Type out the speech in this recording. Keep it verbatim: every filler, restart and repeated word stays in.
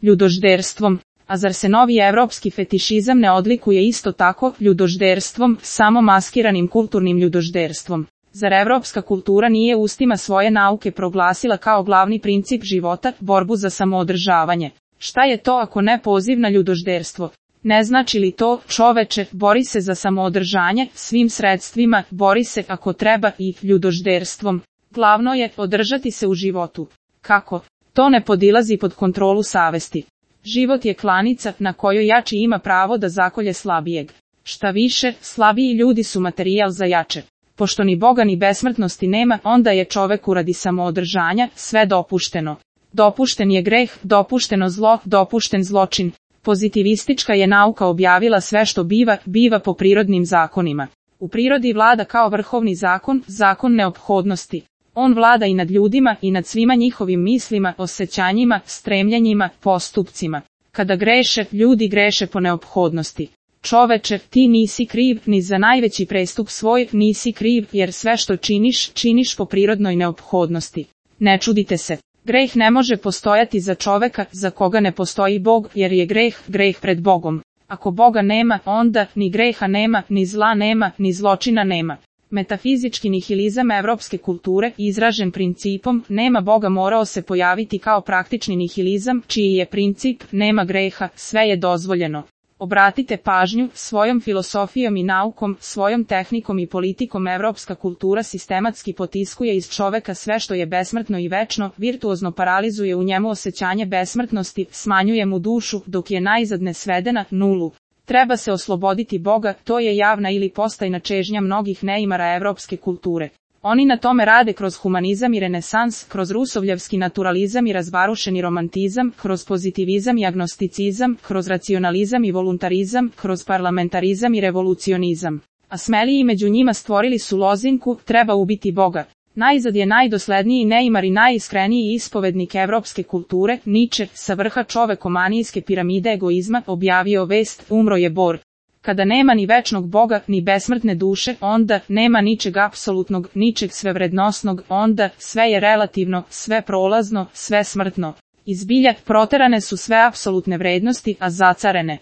ljudožderstvom. A zar se novi evropski fetišizam ne odlikuje isto tako ljudožderstvom, samo maskiranim kulturnim ljudožderstvom? Zar evropska kultura nije ustima svoje nauke proglasila kao glavni princip života borbu za samoodržavanje? Šta je to ako ne poziv na ljudožderstvo? Ne znači li to, čoveče, bori se za samoodržanje svim sredstvima, bori se ako treba i ljudožderstvom? Glavno je održati se u životu. Kako? To ne podilazi pod kontrolu savesti. Život je klanica na kojoj jači ima pravo da zakolje slabijeg. Šta više, slabiji ljudi su materijal za jače. Pošto ni Boga ni besmrtnosti nema, onda je čoveku radi samoodržanja sve dopušteno. Dopušten je greh, dopušteno zlo, dopušten zločin. Pozitivistička je nauka objavila sve što biva, biva po prirodnim zakonima. U prirodi vlada kao vrhovni zakon, zakon neophodnosti. On vlada i nad ljudima i nad svima njihovim mislima, osjećanjima, stremljenjima, postupcima. Kada greše, ljudi greše po neophodnosti. Čoveče, ti nisi kriv ni za najveći prestup svoj, nisi kriv jer sve što činiš, činiš po prirodnoj neophodnosti. Ne čudite se. Greh ne može postojati za čoveka za koga ne postoji Bog, jer je greh, greh pred Bogom. Ako Boga nema, onda ni greha nema, ni zla nema, ni zločina nema. Metafizički nihilizam evropske kulture, izražen principom nema Boga, morao se pojaviti kao praktični nihilizam, čiji je princip nema greha, sve je dozvoljeno. Obratite pažnju, svojom filosofijom i naukom, svojom tehnikom i politikom evropska kultura sistematski potiskuje iz čoveka sve što je besmrtno i večno, virtuozno paralizuje u njemu osjećanje besmrtnosti, smanjuje mu dušu, dok je najzad ne svede na nulu. Treba se osloboditi Boga, to je javna ili postajna čežnja mnogih neimara evropske kulture. Oni na tome rade kroz humanizam i renesans, kroz rusovljevski naturalizam i razvarušeni romantizam, kroz pozitivizam i agnosticizam, kroz racionalizam i voluntarizam, kroz parlamentarizam i revolucionizam. A smeliji među njima stvorili su lozinku, treba ubiti Boga. Najzad je najdosledniji neimar i najiskreniji ispovednik evropske kulture, Niče, sa vrha čovekomanijske piramide egoizma, objavio vest, umro je Bor. Kada nema ni večnog Boga, ni besmrtne duše, onda nema ničeg apsolutnog, ničeg svevrednosnog, onda sve je relativno, sve prolazno, sve smrtno. Iz bilja proterane su sve apsolutne vrednosti, a zacarene